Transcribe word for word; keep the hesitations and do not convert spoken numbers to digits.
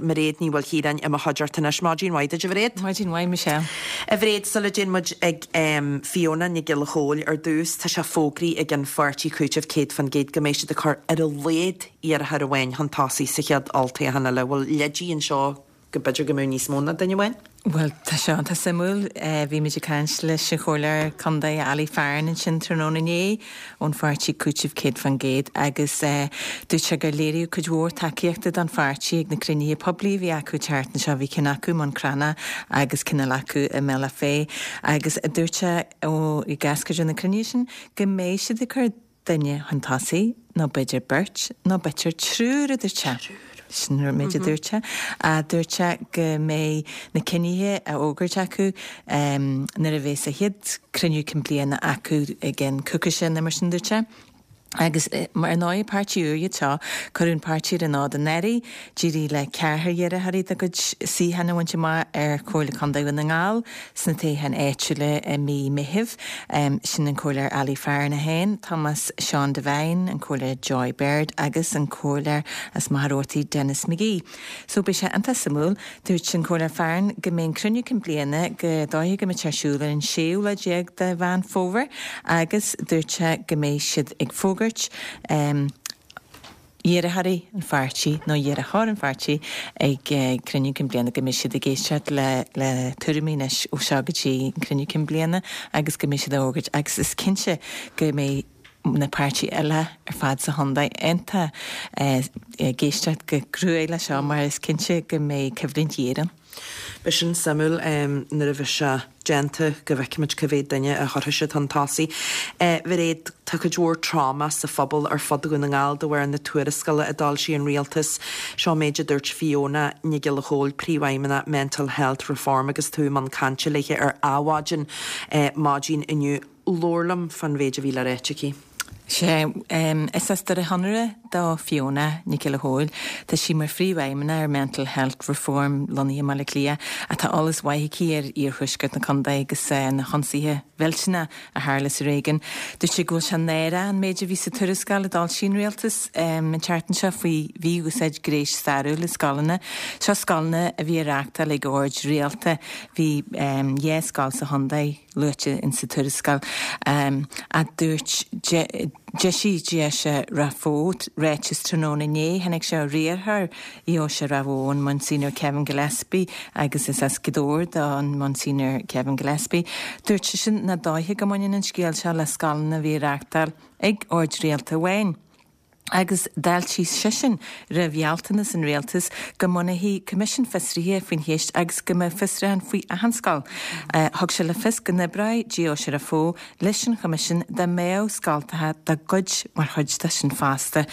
Mhairéad, Mairéad Ní Mhaoilchiaráin i mo chuideachta anois. Maidin mhaith duit, a Mhairéad. Maidin mhaith, Michelle. A Mhairéad, sula dtéann muid ag um, Fiona Nic Giolla Chóill ar dtús, tá sé fógraithe ag an pháirtí Cúiteamh céad faoin gcéad go mbeidh siad ag cur ar a laghad iarrthóir amháin chun tosaigh sa chéad olltoghchán eile. Bhfuil leidí anseo go b'fhéidir go mbeadh níos mó ná duine amháin? Well, tá sé tá suimiúil, bhí muid ag caint leis an chomhairleoir contae Ali Farren ansin tráthnóna inné ón pháirtí Cúiteamh céad faoin gcéad agus dúirt sé gur léiríodh cuid mhór tacaíochta don pháirtí ag na cruinnithe poiblí a bhí acu an tseachtain seo. Bhí ceann acu i mBun Cranncha agus ceann eile acu i mBealach Féich agus dúirt sé ó i gcás cuid de na cruinnithe sin go mbeidh siad ag cur duine chun tosaigh nó b'fhéidir beirt nó b'fhéidir triúr, a dúirt sé. Sin an méid a dúirt sé. Dúirt sé go mbeidh na cinnithe á fhógairt acu nuair a bheas a chéad cruinniú cinn bliana acu i gceann coicíse nó mar sin, dúirt sé. Agus mar ar ndóigh páirtí úr iad seo, cuireadh an páirtí ar an fhód anuraidh, d'éirigh le ceathrar iarrthóirí dá gcuid suíochán a bhaint amach ar Chomhairle Contae Dhún na nGall sna toghcháin áitiúla i mí Meithimh. Sin an Comhairleoir Ali Farren é féin, Tomás Seán Devine, an Comhairleoir Joy Baird agus an Comhairleoir as Machaire Rabhartaigh Denis McGee. So beidh sé iontach suimiúil. Dúirt an Comhairleoir Farren go mbeidh an cruinniú cinn bliana go dóiche go mbeidh sé ar siúl ar an séú lá déag de Mheán Fómhair agus dúirt sé go mbeidh siad ag fógairt iarrthóirí an pháirtí nó iarrthóir an pháirtí ag cruinniú cinn bliana, go mbeidh siad ag éisteacht le le tuairimí anois ó seo go dtí an cruinniú cinn bliana agus go mbeidh siad á fhógairt agus is cinnte go mbeidh na páirtithe eile ar fad sa chontae iontach ag éisteacht go cruaidh leis seo mar is cinnte go mbeidh coimhlint ghéar ann. Beidh sin suimiúil nuair a bheidh sé déanta go bhfeicfimid cá mhéad duine a chuirfidh siad chun tosaigh. A Mhairéad, tá cuid mhór tráma sa phobal ar fud Dhún na nGall de bharr na tuarascála a d'fhoilsigh an rialtas. Seo an méid a dúirt Fiona Nic Giolla Chóill, Príomhfheidhmeannach Mental Health Reform agus tú i mbun cainte léi ar Adhmhaidin maidin inniu. Labhair liom fán mhéid a bhí le ráit aici. Sea, is as Doire Chonaire do Fiona Nic Giolla Chóill. Tá sí mar phríomhfheidhmeannach ar Mental Health Reform lonnaithe i mBaile Átha Cliath ach tá eolas maith aici ar iarthuaisceart na contae agus na hionsaithe mhillteanacha a tharla sa réigiún. Dúirt sí go bhfuil sé náireach an méid a bhí sa tuarascáil a d'fhoilsigh an rialtas an tseachtain seo faoi mhí-úsáid gnéis stairiúil i scoileanna. Seo scoileanna a bhí á reáchtáil ag oird rialta. Bhí dhá scoil sa chontae luaite insa tuarascáil a dúirt D'eisigh Deoise Ráth Bhoth ráiteas tráthnóna inné. Tháinig sé ó riarthóir Dheoise Ráth Bhoth, an Monsignor Kevin Gillespie, agus is as Gaoth Dobhair don Monsignor Kevin Gillespie. Dúirt seisean nach dóiche go mbaineann an scéal seo le scoileanna a bhí á reáchtáil ag ord rialta amháin. Agus d'fháiltigh seisean roimh ghealltanas an rialtais go mbunófaí coimisiún fiosraithe faoin cheist agus go mbeadh fiosrúchán faoi achan scoil. Thug sé le fios go n-oibreoidh Deoise Ráth Bhoth leis an choimisiún dá mbeadh scoltacha dá gcuid mar chuid de sin fosta.